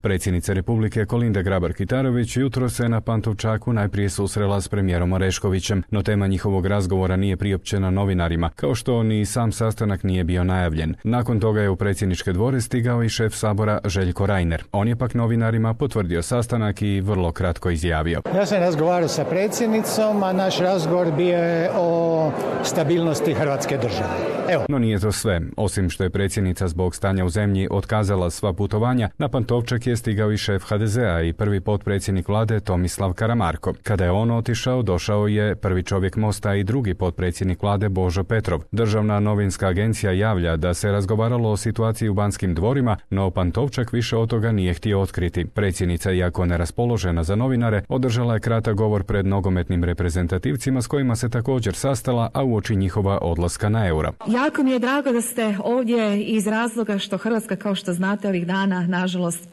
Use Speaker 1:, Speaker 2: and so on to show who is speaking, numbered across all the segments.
Speaker 1: Predsjednica Republike Kolinda Grabar-Kitarović jutro se na Pantovčaku najprije susrela s premijerom Oreškovićem, no tema njihovog razgovora nije priopćena novinarima, kao što ni sam sastanak nije bio najavljen. Nakon toga je u predsjedničke dvore stigao i šef Sabora Željko Reiner. On je pak novinarima potvrdio sastanak i vrlo kratko izjavio.
Speaker 2: Ja sam razgovarao sa predsjednicom, a naš razgovor bio je o stabilnosti Hrvatske države. Evo.
Speaker 1: No nije to sve. Osim što je predsjednica zbog stanja u zemlji otkazala sva putovanja, na Pantovčak je stigao i šef HDZ-a i prvi potpredsjednik vlade Tomislav Karamarko. Kada je on otišao, došao je prvi čovjek Mosta i drugi potpredsjednik vlade Božo Petrov. Državna novinska agencija javlja da se razgovaralo o situaciji u Banskim dvorima, no Pantovčak više od toga nije htio otkriti. Predsjednica, iako neraspoložena za novinare, održala je kratak govor pred nogometnim reprezentativcima s kojima se također sastala, a uoči njihova odlaska na Euro.
Speaker 3: Jako mi je drago da ste ovdje iz razloga što Hrvatska, kao što znate, ovih dana nažalost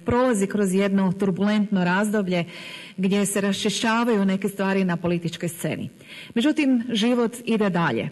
Speaker 3: prolazi kroz jedno turbulentno razdoblje gdje se raščišćavaju neke stvari na političkoj sceni. Međutim, život ide dalje.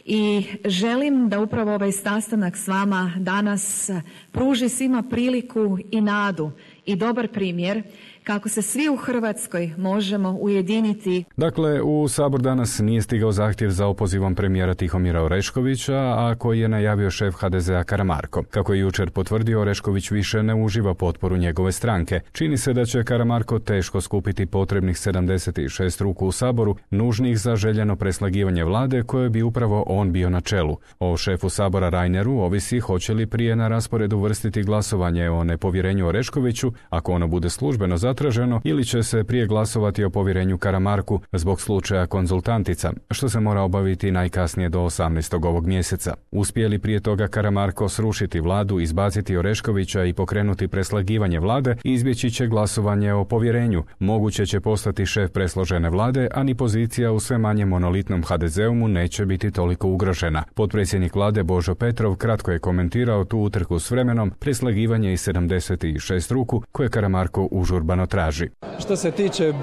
Speaker 3: I želim da upravo ovaj sastanak s vama danas pruži svima priliku i nadu i dobar primjer kako se svi u Hrvatskoj možemo ujediniti.
Speaker 1: Dakle, u Sabor danas nije stigao zahtjev za opozivom premijera Tihomira Oreškovića, a koji je najavio šef HDZ-a Karamarko. Kako je jučer potvrdio, Orešković više ne uživa potporu njegove stranke. Čini se da će Karamarko teško skupiti potrebnih 76 ruku u Saboru, nužnih za željeno preslagivanje vlade koje bi upravo on bio na čelu. O šefu Sabora Reineru ovisi hoće li prije na rasporedu uvrstiti glasovanje o nepovjerenju Oreškoviću, ako ono bude službeno zatraženo, ili će se prije glasovati o povjerenju Karamarku zbog slučaja konzultantica, što se mora obaviti najkasnije do 18. ovog mjeseca. Uspije li prije toga Karamarko srušiti vladu, izbaciti Oreškovića i pokrenuti preslagivanje vlade, izbjeći će glasovanje o povjerenju. Moguće će postati šef presložene vlade, a ni pozicija u sve manje monolitnom HDZ-u mu neće biti toliko ugrožena. Potpredsjednik vlade Božo Petrov kratko je komentirao tu utrku s vremenom, preslagivanje iz 76 ruku koje Karamarko užurbano traži.
Speaker 4: Što se tiče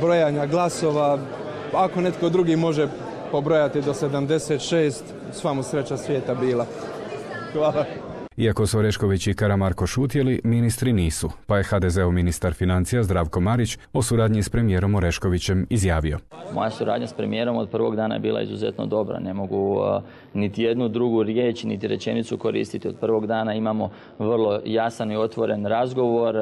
Speaker 4: brojanja glasova, ako netko drugi može pobrojati do 76, sva mu sreća svijeta bila. Hvala.
Speaker 1: Iako su Orešković i Karamarko šutjeli, ministri nisu, pa je HDZ-ov ministar financija Zdravko Marić o suradnji s premijerom Oreškovićem izjavio.
Speaker 5: Moja suradnja s premijerom od prvog dana je bila izuzetno dobra. Ne mogu niti jednu drugu riječ, niti rečenicu koristiti. Od prvog dana imamo vrlo jasan i otvoren razgovor.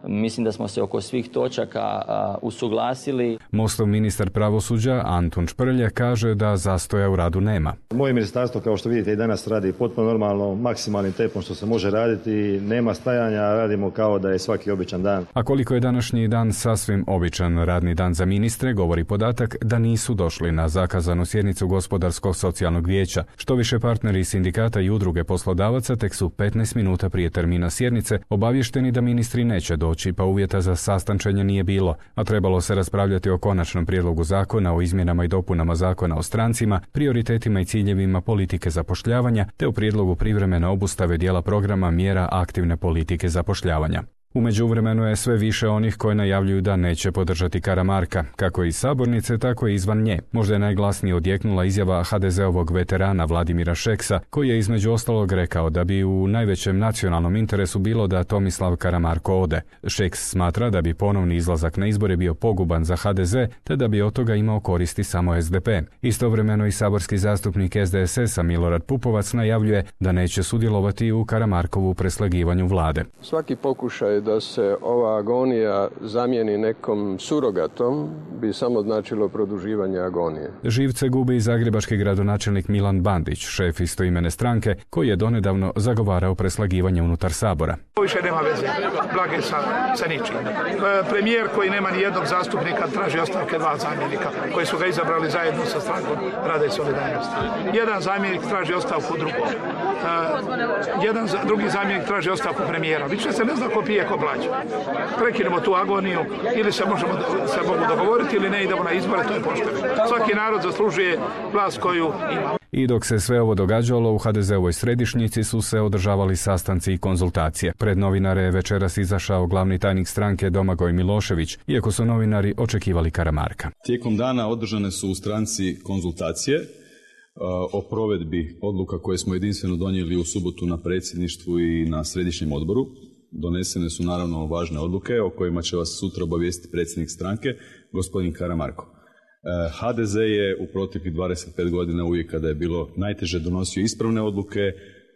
Speaker 5: Mislim da smo se oko svih točaka usuglasili.
Speaker 1: Mostov ministar pravosuđa Antun Šprlje kaže da zastoja u radu nema.
Speaker 6: Moje ministarstvo, kao što vidite, i danas radi potpuno normalno, maksimalnim tempom što se može raditi, nema stajanja, radimo kao da je svaki običan dan.
Speaker 1: A koliko je današnji dan sasvim običan radni dan za ministre, govori podatak da nisu došli na zakazanu sjednicu Gospodarskog socijalnog vijeća. Što više, partneri sindikata i udruge poslodavaca tek su 15 minuta prije termina sjednice obavješteni da ministri neće doći, pa uvjeta za sastančenje nije bilo, a trebalo se raspravljati o konačnom prijedlogu zakona o izmjenama i dopunama zakona o strancima, prioritetima i ciljevima politike zapošljavanja, te o prijedlogu privremene obustave dijela programa mjera aktivne politike zapošljavanja. U međuvremenu je sve više onih koji najavljuju da neće podržati Karamarka, kako iz sabornice, tako i izvan nje. Možda je najglasnije odjeknula izjava HDZ-ovog veterana Vladimira Šeksa, koji je između ostalog rekao da bi u najvećem nacionalnom interesu bilo da Tomislav Karamarko ode. Šeks smatra da bi ponovni izlazak na izbore bio poguban za HDZ, te da bi od toga imao koristi samo SDP. Istovremeno i saborski zastupnik SDSS-a Milorad Pupovac najavljuje da neće sudjelovati u Karamarkovu preslagivanju vlade.
Speaker 7: Svaki pokušaj da se ova agonija zamijeni nekom surogatom bi samo značilo produživanje agonije.
Speaker 1: Živce gubi i zagrebački gradonačelnik Milan Bandić, šef istoimene stranke, koji je donedavno zagovarao preslagivanje unutar Sabora.
Speaker 8: Više nema veze Blage sa ničim. Premijer koji nema ni jednog zastupnika traži ostavke dva zamjenika koji su ga izabrali zajedno sa strankom Rada i solidarnosti. Jedan zamjenik traži ostavku drugog. Drugi zamjenik traži ostavku premijera. Više se ne zna ko pije ko plaća. Prekinemo tu agoniju ili se mogu dogovoriti ili ne idemo na izbore, to je pošteno. Svaki narod zaslužuje vlast koju ima.
Speaker 1: I dok se sve ovo događalo, u HDZ-ovoj središnjici su se održavali sastanci i konzultacije. Pred novinare je večeras izašao glavni tajnik stranke Domagoj Milošević, iako su novinari očekivali Karamarka.
Speaker 9: Tijekom dana održane su u stranci konzultacije o provedbi odluka koje smo jedinstveno donijeli u subotu na predsjedništvu i na središnjem odboru. donesene su naravno važne odluke o kojima će vas sutra obavijestiti predsjednik stranke, gospodin Karamarko. HDZ je u proteklih 25 godina uvijek kada je bilo najteže donosio ispravne odluke,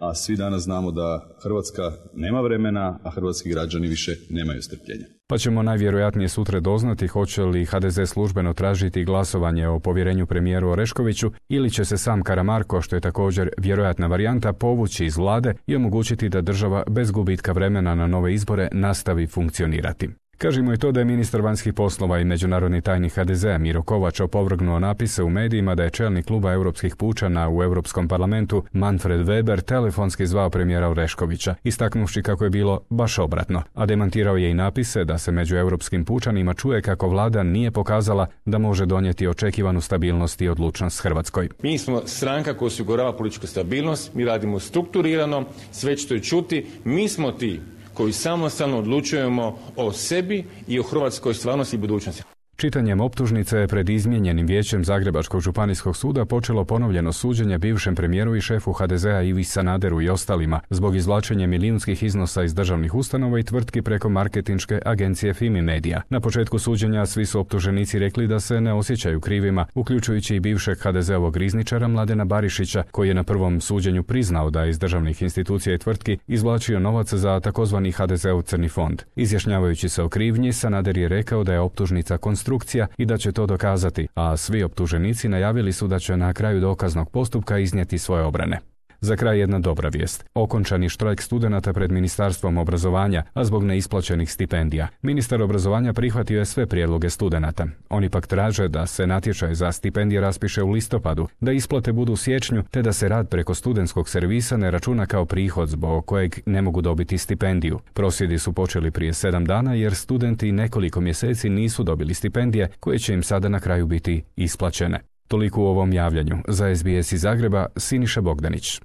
Speaker 9: a svi danas znamo da Hrvatska nema vremena, a hrvatski građani više nemaju strpljenja.
Speaker 1: Pa ćemo najvjerojatnije sutra doznati hoće li HDZ službeno tražiti glasovanje o povjerenju premijeru Oreškoviću ili će se sam Karamarko, što je također vjerojatna varijanta, povući iz vlade i omogućiti da država bez gubitka vremena na nove izbore nastavi funkcionirati. Kažimo i to da je ministar vanjskih poslova i međunarodni tajnik HDZ-a Miro Kovač opovrgnuo napise u medijima da je čelnik kluba europskih pučana u Europskom parlamentu Manfred Weber telefonski zvao premijera Oreškovića, istaknuvši kako je bilo baš obratno, a demantirao je i napise da se među europskim pučanima čuje kako vlada nije pokazala da može donijeti očekivanu stabilnost i odlučnost Hrvatskoj.
Speaker 10: Mi smo stranka koja osigurava političku stabilnost, mi radimo strukturirano, sve ćete čuti, mi smo ti koji samostalno odlučujemo o sebi i o hrvatskoj stvarnosti i budućnosti.
Speaker 1: Čitanjem optužnice pred izmijenjenim vijećem Zagrebačkog županijskog suda počelo ponovljeno suđenje bivšem premijeru i šefu HDZ-a Ivi Sanaderu i ostalima zbog izvlačenja milijunskih iznosa iz državnih ustanova i tvrtki preko marketinške agencije Fimi Media. Na početku suđenja svi su optuženici rekli da se ne osjećaju krivima, uključujući i bivšeg HDZ-ovog rizničara Mladena Barišića, koji je na prvom suđenju priznao da je iz državnih institucija i tvrtki izvlačio novac za takozvani HDZ-ov crni fond. Izjašnjavajući se o krivnji, Sanader je rekao da je optužnica konstrukcija i da će to dokazati, a svi optuženici najavili su da će na kraju dokaznog postupka iznijeti svoje obrane. Za kraj jedna dobra vijest. Okončan je štrajk studenata pred Ministarstvom obrazovanja, a zbog neisplaćenih stipendija. Ministar obrazovanja prihvatio je sve prijedloge studenata. Oni pak traže da se natječaj za stipendije raspiše u listopadu, da isplate budu u siječnju, te da se rad preko studentskog servisa ne računa kao prihod zbog kojeg ne mogu dobiti stipendiju. Prosvjedi su počeli prije 7 dana jer studenti nekoliko mjeseci nisu dobili stipendije koje će im sada na kraju biti isplaćene. Toliko u ovom javljanju. Za SBS iz Zagreba, Siniša Bogdanić.